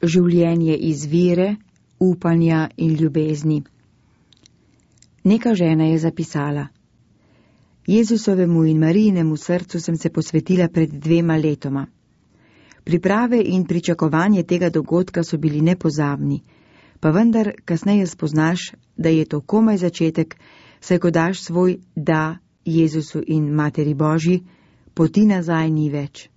življenje iz vere, upanja in ljubezni. Neka žena je zapisala: Jezusovemu in Marijinemu srcu sem se posvetila pred 2 letoma. Priprave in pričakovanje tega dogodka so bili nepozabni, pa vendar kasneje spoznaš, da je to komaj začetek, saj ko daš svoj da Jezusu in Materi Božji, poti nazaj ni več.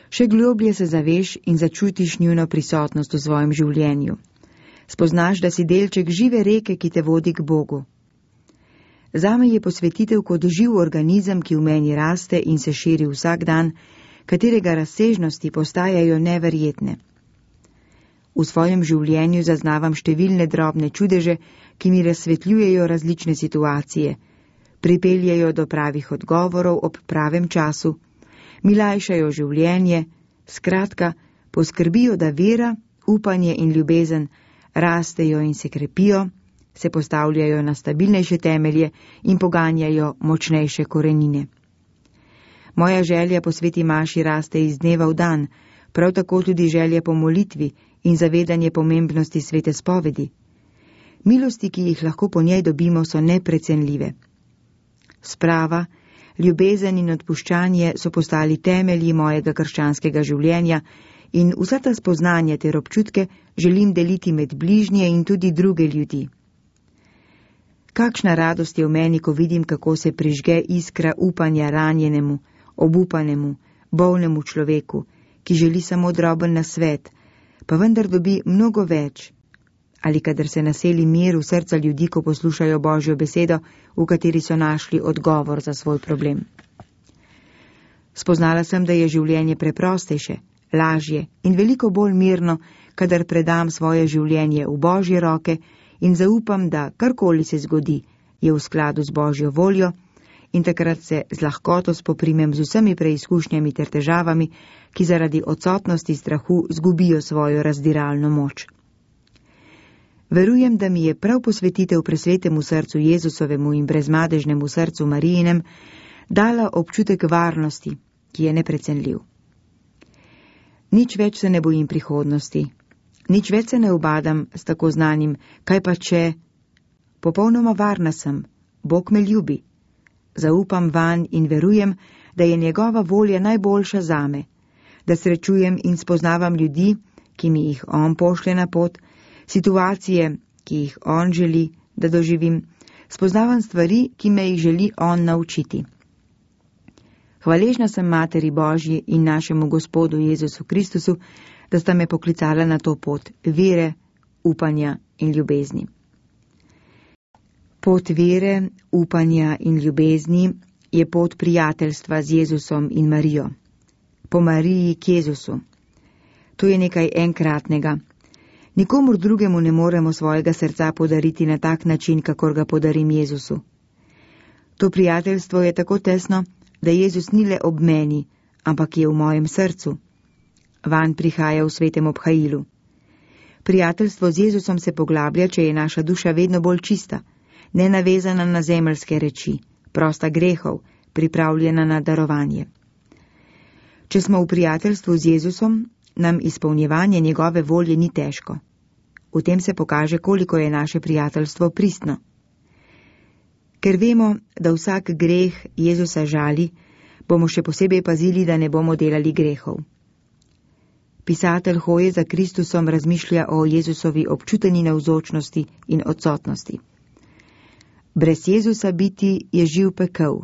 Še globlje se zaveš in začutiš njuno prisotnost v svojem življenju. Spoznaš, da si delček žive reke, ki te vodi k Bogu. Zame je posvetitev kot živ organizem, ki v meni raste in se širi vsak dan, katerega razsežnosti postajajo neverjetne. V svojem življenju zaznavam številne drobne čudeže, ki mi razsvetljujejo različne situacije, pripeljejo do pravih odgovorov ob pravem času, mi lajšajo življenje, skratka, poskrbijo, da vera, upanje in ljubezen rastejo in se krepijo, se postavljajo na stabilnejše temelje in poganjajo močnejše korenine. Moja želja po sveti maši raste iz dneva v dan, prav tako tudi želja po molitvi in zavedanje pomembnosti svete spovedi. Milosti, ki jih lahko po njej dobimo, so neprecenljive. Sprava, ljubezen in odpuščanje so postali temelji mojega krščanskega življenja in vsa ta spoznanja ter občutke želim deliti med bližnje in tudi druge ljudi. Kakšna radost je v meni, ko vidim, kako se prižge iskra upanja ranjenemu, obupanemu, bolnemu človeku, ki želi samo droben nasvet, pa vendar dobi mnogo več, ali kadar se naseli mir v srca ljudi, ko poslušajo Božjo besedo, v kateri so našli odgovor za svoj problem. Spoznala sem, da je življenje preprostejše, lažje in veliko bolj mirno, kadar predam svoje življenje v Božje roke in zaupam, da karkoli se zgodi, je v skladu z Božjo voljo, in takrat se z lahkoto spoprimem z vsemi preizkušnjami ter težavami, ki zaradi odsotnosti strahu zgubijo svojo razdiralno moč. Verujem, da mi je prav posvetitev presvetemu srcu Jezusovemu in brezmadežnemu srcu Marijinem dala občutek varnosti, ki je neprecenljiv. Nič več se ne bojim prihodnosti, nič več se ne ubadam s tako znanim, kaj pa če, popolnoma varna sem, Bog me ljubi. Zaupam vanj in verujem, da je njegova volja najboljša zame, da srečujem in spoznavam ljudi, ki mi jih on pošlje na pot, situacije, ki jih on želi, da doživim, spoznavam stvari, ki me jih želi on naučiti. Hvaležna sem Materi Božji in našemu Gospodu Jezusu Kristusu, da sta me poklicala na to pot vere, upanja in ljubezni. Pot vere, upanja in ljubezni je pot prijateljstva z Jezusom in Marijo. Po Mariji k Jezusu. To je nekaj enkratnega. Nikomur drugemu ne moremo svojega srca podariti na tak način, kakor ga podarim Jezusu. To prijateljstvo je tako tesno, da Jezus ni le ob meni, ampak je v mojem srcu. Vanj prihaja v svetem obhajilu. Prijateljstvo z Jezusom se poglablja, če je naša duša vedno bolj čista, nenavezana na zemeljske reči, prosta grehov, pripravljena na darovanje. Če smo v prijateljstvu z Jezusom, nam izpolnjevanje njegove volje ni težko. V tem se pokaže, koliko je naše prijateljstvo pristno. Ker vemo, da vsak greh Jezusa žali, bomo še posebej pazili, da ne bomo delali grehov. Pisatelj hoje za Kristusom razmišlja o Jezusovi občuteni navzočnosti in odsotnosti. Brez Jezusa biti je živ pekel.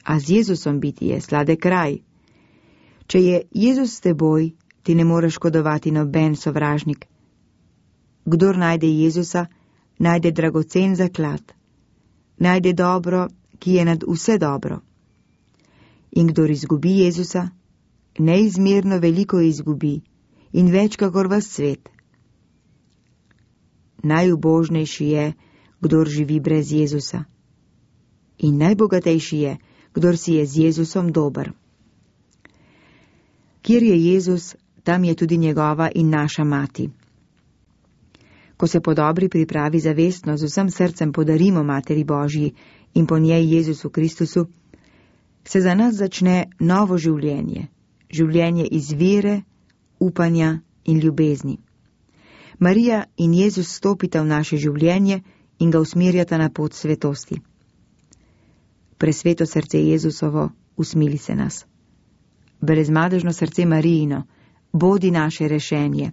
A z Jezusom biti je sladek raj. Če je Jezus s teboj, ti ne more škodovati noben sovražnik. Kdor najde Jezusa, najde dragocen zaklad. Najde dobro, ki je nad vse dobro. In kdor izgubi Jezusa, neizmerno veliko izgubi in več kakor ves svet. Najubožnejši je, kdor živi brez Jezusa. In najbogatejši je, kdor si je z Jezusom dober. Kjer je Jezus, tam je tudi njegova in naša mati. Ko se po dobri pripravi zavestno z vsem srcem podarimo Materi Božji in po njej Jezusu Kristusu, se za nas začne novo življenje, življenje iz vere, upanja in ljubezni. Marija in Jezus stopita v naše življenje in ga usmerjata na pot svetosti. Presveto srce Jezusovo, usmili se nas. Brezmadežno srce Marijino, bodi naše rešenje.